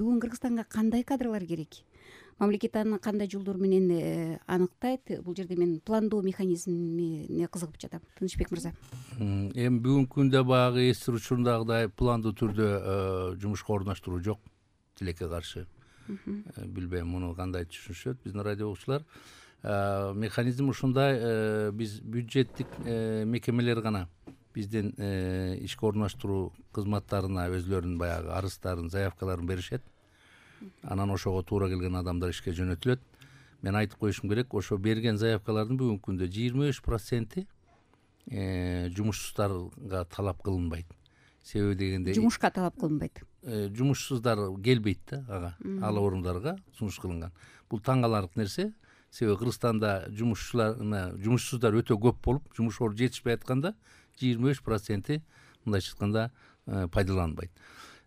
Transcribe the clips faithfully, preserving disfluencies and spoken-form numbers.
бүгүн Кыргызстанга кандай кадрлар керек? Мамлекет аны кандай жолдор менен аныктайт? Бул жерде мен пландоо механизмине кызыгып жатам. Тынычбек мырза. Эми бүгүнкү күндө баягы эстир учурундагыдай пландуу түрдө жумушка орноштуруу жок. Тилекке каршы. Билбейм муну кандай түшүнүшөт биздин радио угуучулар. Механизм ушундай, биз бюджеттик мекемелер гана биздин ишке орноштуруу кызматтарына өзлөрүнүн баягы арыздарын, заявкаларын беришет. Анан ошого туура келген адамдар ишке жөнөтүлөт. Мен айтып коюшум керек, ошо берген заявкалардын бүгүнкү күндө жыйырма үч проценти жумушсуздарга талап кылынбайт. Себеби дегенде жумушка талап кылынбайт. Жумушсуздар келбейт да ага, ал орундарга сунуш кылынган. Бул таң каларлык нерсе. Себеби Кыргызстанда жумушчулар, жумушсуздар өтө көп болуп, жумуш орун жетишпей атканда жыйырма үч проценти мындайча айтканда пайдаланбайт.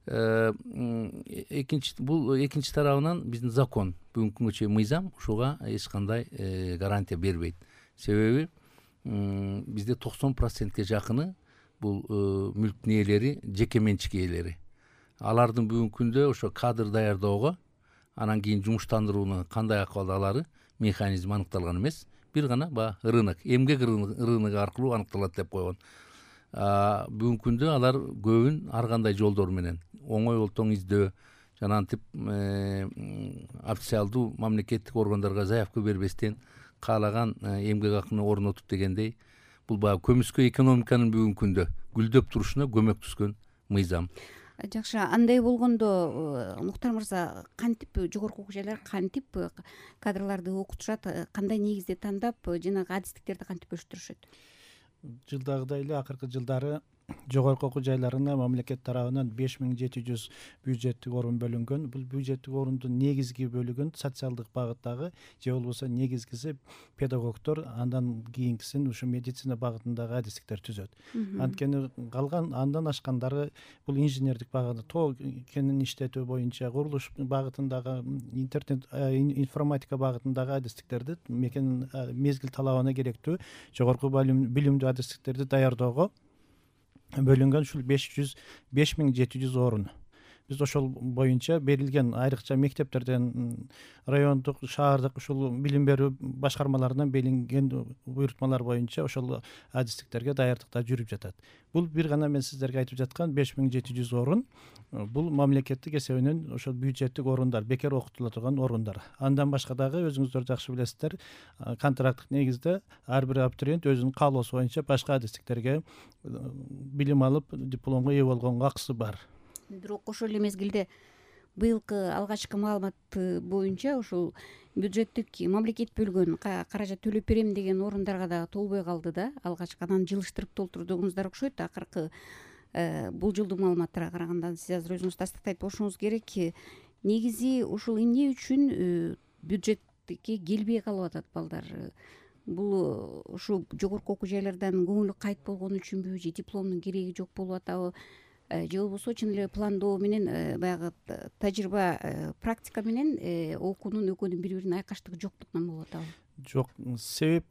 Экинчи бул экинчи тарабынан биздин закон, бүгүнкү күнгө чейин мыйзам ушуга эч кандай гарантия бербейт. Себеби бизде токсон процентке жакыны бул мүлктүн ээлери жеке менчик ээлери. Алардын бүгүнкү күндө ошо кадр даярдоого, анан кийин жумуштандырууну кандай акыбалда алары механизм аныкталган эмес. Бир гана баягы рынок, эмгек рыногу аркылуу аныкталат деп койгон. Бүгүнкү күндө алар көбүн ар кандай жолдор менен оңой олтоң издөө жана антип официалдуу мамлекеттик органдарга заявка бербестен каалаган эмгек акыны орнотуп дегендей, бул баягы көмүскө экономиканын бүгүнкү күндө гүлдөп турушуна көмөктөшкөн мыйзам. Жакшы, андай болгондо Муктар мырза, кантип жогорку окуу жайлар кантип кадрларды окутушат, кандай негизде тандап, жанагы адистиктерди кантип бөлүштүрүшөт? Жылдагыдай эле акыркы жылдары жогорку окуу жайларына мамлекет тарабынан беш миң жети жүз бюджеттик орун бөлүнгөн. Бул бюджеттик орундун негизги бөлүгүн социалдык багыттагы же болбосо негизгиси педагогдор, андан кийинкисин ушу медицина багытындагы адистиктер түзөт. Анткени калган андан ашкандары бул инженердик багыт, тоо кенин иштетүү боюнча, курулуш багытындагы, интернет информатика багытындагы адистиктерди мекен мезгил талабына керектүү жогорку билимдүү адистиктерди даярдоого бөлүнгөн ушул беш жүз беш миң жети жүз орун. Биз ошол боюнча берилген айрыкча мектептерден, райондук, шаардык ушул билим берүү башкармаларынан берилген буйрутмалар боюнча ошол адистиктерге даярдыкта жүрүп жатат. Бул бир гана мен сиздерге айтып жаткан беш миң жети жүз орун, бул мамлекеттик эсебинен ошол бюджеттик орундар, бекер окутула турган орундар. Андан башка дагы өзүңүздөр жакшы билесиздер, контракттык негизде ар бир абитуриент өзүнүн каалоосу боюнча башка адистиктерге билим алып, дипломго ээ болгонго акысы бар. Бирок ошол эле мезгилде быйылкы алгачкы маалымат боюнча ушул бюджеттик мамлекет бөлгөн каражат төлөп берем деген орундарга да толбой калды да. Алгачкыдан жылыштырып толтурдуңуздар окшойт. Акыркы бул жылдуу маалыматтарга караганда сиз азыр өзүңүз тастыктайт болушуңуз керек. Негизи ушул эмне үчүн бюджетке келбей калып атат балдар? Бул ушу жогорку окуу жайлардан көңүлү кайт болгон үчүнбү, же дипломдун кереги жок болуп атабы? Же болбосо чын эле пландоо менен баягы тажрыйба, практика менен окуунун экөөнүн бири бирине айкаштыгы жоктуктан болуп атабы? Жок, себеп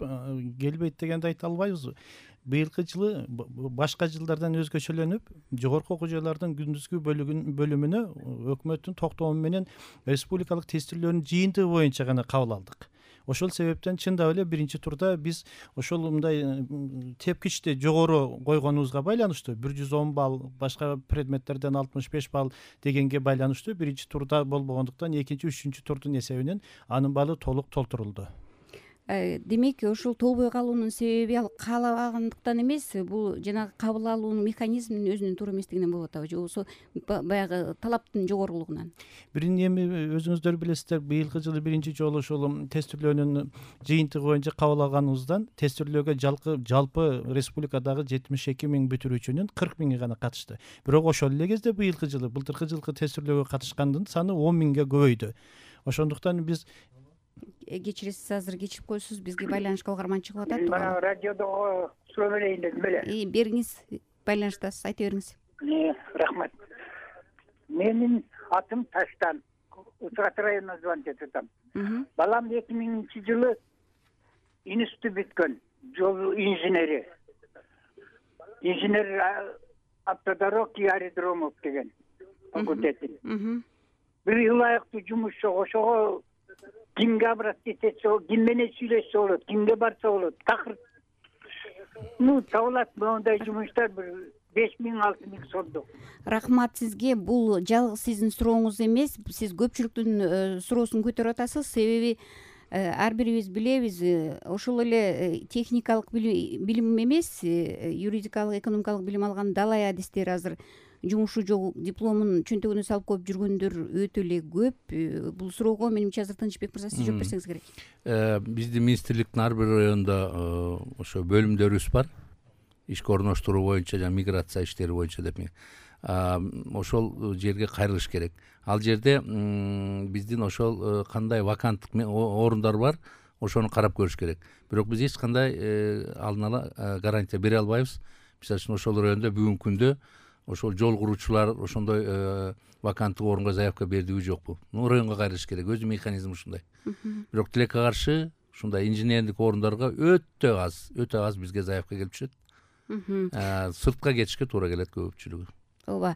келбейт дегенди айта албайбыз. Быйылкы жылы башка жылдардан өзгөчөлөнүп, жогорку окуу жайлардын күндүзгү бөлүмүнө өкмөттүн токтому менен республикалык тестирлөөнүн жыйынтыгы боюнча гана кабыл алдык. Ошол себептен чындап эле биринчи турда биз ошол мындай тепкичти жогору койгонубузга байланыштуу бир жүз он балл, башка предметтерден алтымыш беш балл дегенге байланыштуу биринчи турда болбогондуктан экинчи, үчүнчү турдун эсебинен анын баллы толук толтурулду. Демек, ушул толбой калуунун себеби ал каалабагандыктан эмес, бул жанагы кабыл алуунун механизминин өзүнүн туура эместигинен болуп атабы, же болбосо баягы талаптын жогорулугунан? Бирин эми өзүңүздөр билесиздер, быйылкы жылы биринчи жолу ушул тестирлөөнүн жыйынтыгы боюнча кабыл алганыбыздан тестирлөөгө жалпы республикадагы жетимиш эки миң бүтүрүүчүнүн кырк миңи гана катышты. Бирок ошол эле кезде быйылкы жылы, былтыркы жылкы тестирлөөгө катышкандын саны он миңге көбөйдү. Ошондуктан биз кечиресиз, азыр кечирип коесуз, бизге байланышка калгарман чыгып атат. Мына радиодо суроо берейин дедим беле. Бериңиз, байланыштасыз, айта бериңиз. Рахмат. Менин атым Таштан, Учкат районуна звонить этип атам. Балам эки миңинчи жылы институт бүткөн, жол инженери. Инженер автодорог и аэродромов деген факультетин. бир ылайыктуу жумуш жок. Ошого кимге обратиться этсе болот, ким менен сүйлөшсө болот, кимге барса болот. Такыр ну табылат моундай жумуштар бир беш миң алты миң сомдо. Рахмат сизге. Бул жалгыз сиздин сурооңуз эмес, сиз көпчүлүктүн суроосун көтөрүп атасыз. Себеби ар бирибиз билебиз, ошол эле техникалык билим эмес, юридикалык, экономикалык билим алган далай адистер азыр жумушу жок, дипломун чөнтөгүнө салып коюп жүргөндөр өтө эле көп. Бул суроого менимче азыр Тынычбек мырза сиз жооп берсеңиз керек. Биздин министрликтин ар бир районунда ошо бөлүмдөрүбүз бар. Ишке орноштуруу боюнча жана миграция иштери боюнча деп ошол жерге кайрылыш керек. Ал жерде биздин ошол кандай ваканттык орундар бар, ошону карап көрүш керек. Бирок биз эч кандай алдын ала гарантия бере албайбыз. Мисалы үчүн ошол райондо бүгүнкү күндө ошол жол куруучулар ошондой ваканттык орунга заявка бердиби жокпу? Ну районго кайрылыш керек. Өзү механизм ушундай. Бирок тилекке каршы ушундай инженердик орундарга өтө аз, өтө аз бизге заявка келип түшөт. Сыртка кетишке туура келет көпчүлүгү. Ооба.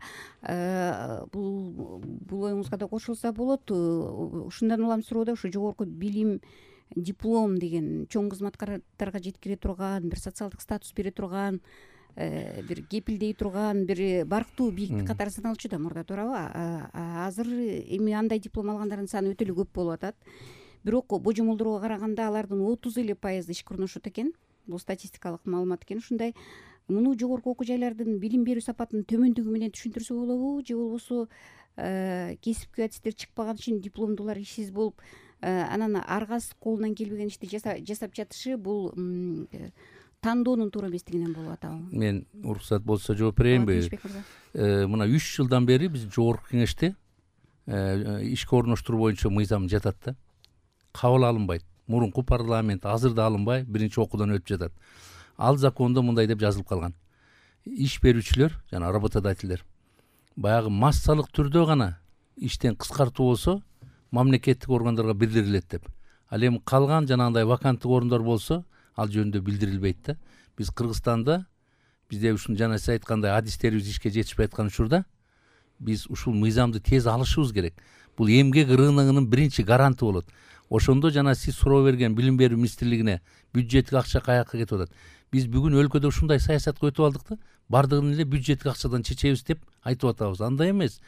Бул бул оюңузга да кошулса болот. Ушундан улам суроода ушу жогорку билим, диплом деген чоң кызматкарларга жеткире турган, бир социалдык статус бере турган, бир кепилдей турган, бир барктуу бийиктик катары саналчу да мурда, туурабы? Азыр эми андай диплом алгандардын саны өтө эле көп болуп атат. Бирок божомолдорго караганда алардын отуз эле пайызы ишке орношот экен. Бул статистикалык маалымат экен. Ушундай муну жогорку окуу жайлардын билим берүү сапатынын төмөндүгү менен түшүндүрсө болобу, же болбосо кесипкөй адистер чыкпаган үчүн дипломдуулар ишсиз болуп, анан аргасы колунан келбеген ишти жасап жатышы бул тандоонун туура эместигинен болуп атабы? Мен уруксат болсо жооп берейинби? Мына үч жылдан бери биз жогорку кеңеште ишке орноштуруу боюнча мыйзам жатат да. Кабыл алынбайт. Мурунку парламент азыр да алынбай, биринчи окуудан өтүп жатат. Ал закондо мындай деп жазылып калган. Иш берүүчүлөр жана работодательдер баягы массалык түрдө гана иштен кыскартуу болсо, мамлекеттик органдарга билдирилет деп. Ал эми калган жанагындай ваканттык орундар болсо, ал жөнүндө билдирилбейт да. Биз Кыргызстанда бизде ушун жана сиз айткандай адистерибиз ишке жетишпей аткан учурда биз ушул мыйзамды тез алышыбыз керек. Бул эмгек рыногунун биринчи гаранты болот. Ошондо жана сиз суроо берген билим берүү министрлигине бюджеттик акча каяка кетип атат. Биз бүгүн өлкөдө ушундай саясатка өтүп алдык да, бардыгын эле бюджеттик акчадан чечебиз деп айтып атабыз. Андай эмес.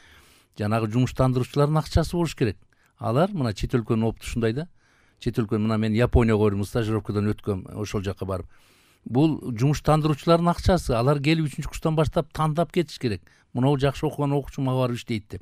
Жанагы жумуштандыруучулардын акчасы болуш керек. Алар мына чет өлкөнүн опыту ушундай да. Чет өлкө мына мен Японияга барып стажировкадан өткөм, ошол жака барып. Бул жумуштандыруучулардын акчасы, алар келип үчүнчү курстан баштап тандап кетиш керек. Мынау жакшы окуган окуучу мага барып иштейт деп.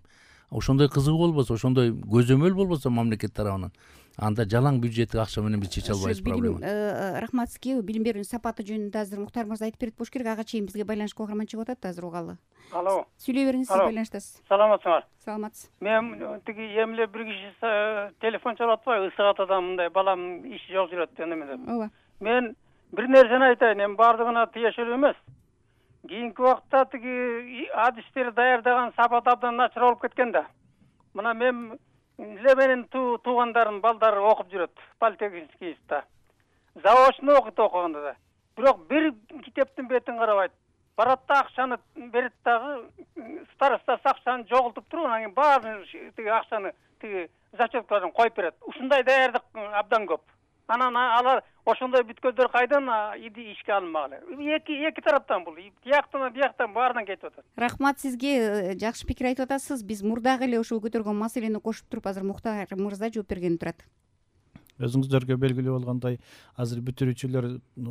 Ошондой кызыгуу болбосо, ошондой көзөмөл болбосо мамлекет тарабынан, анда жалаң бюджеттик акча менен биз чече албайбыз проблеманы. Рахмат сизге. Билим берүүнүн сапаты жөнүндө азыр Муктар мырза айтып берет болуш керек. Ага чейин бизге байланышка угарман чыгып атат, азыр угалы. Алло. Сүйлөй бериңиз, сиз байланыштасыз. Саламатсыңар? Саламатсыз. Мен тиги эмле бир киши телефон чалып атпайбы, ысык атадан мындай балам иши жок жүрөт деме деп. Ооба. Мен бир нерсени айтайын, эми бардыгына тиешелүү эмес. Кийинки убакта тиги адистер даярдаган сапат абдан начар болуп кеткен да. Мына мен эле менин туугандарым балдары окуп жүрөт политехникийда. Заочно окуйт окуганда да. Бирок бир китептин бетин карабайт. Барат да акчаны берет дагы, староста акчаны жогултуп туруп, анан кийин баарын тиги акчаны тиги зачеткаларын коюп берет. Ушундай даярдык абдан көп. Анан алар ошондой бүткөндөр кайдан ишке алынмак эле? Эки эки тараптан бул. Тияктан, бияктан баарынан кетип атат. Рахмат сизге. Жакшы пикир айтып атасыз. Биз мурдагы эле ошол көтөргөн маселени кошуп туруп, азыр Муктар мырза жооп берген турат. Өзүңүздөргө белгилүү болгондой, азыр бүтүрүүчүлөр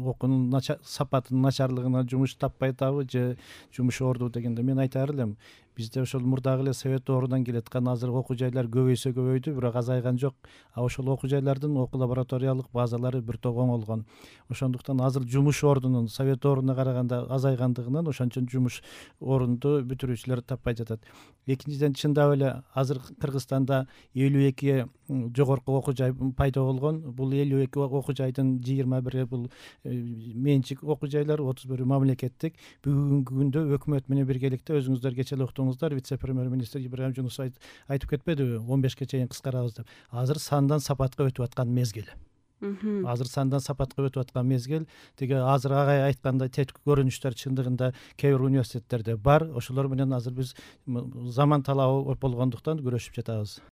окуунун сапатынын начарлыгына жумуш таппай атабы же жумуш орду дегенде мен айтаар элем. Бизде ошол мурдагы эле совет ордунан келаткан азыр окуу жайлар көбөйсө көбөйдү, бирок азайган жок. А ошол окуу жайлардын окуу лабораториялык базалары бир топ оңолгон. Ошондуктан азыр жумуш ордунун совет ордуна караганда азайгандыгынан ошончон жумуш орунду бүтүрүүчүлөр таппай жатат. Экинчиден, чындап эле азыр Кыргызстанда элүү эки жогорку окуу жай пайда болгон. Бул элүү эки окуу жайдын жыйырма бири бул менчик окуу жайлар, отуз бири мамлекеттик. Бүгүнкү күндө өкмөт менен биргеликте өзүңүздөр кечээ эле уктуңуздар, вице-премьер-министр Ибраим Жунусов айтып кетпедиби, он бешке чейин кыскарабыз деп. Азыр сандан сапатка өтүп аткан мезгил. азыр сандан сапатка өтүп аткан мезгил, тиги азыр агай айткандай теткү көрүнүштөр чындыгында кээ бир университеттерде бар. Ошолор менен азыр биз заман талабы болгондуктан күрөшүп жатабыз.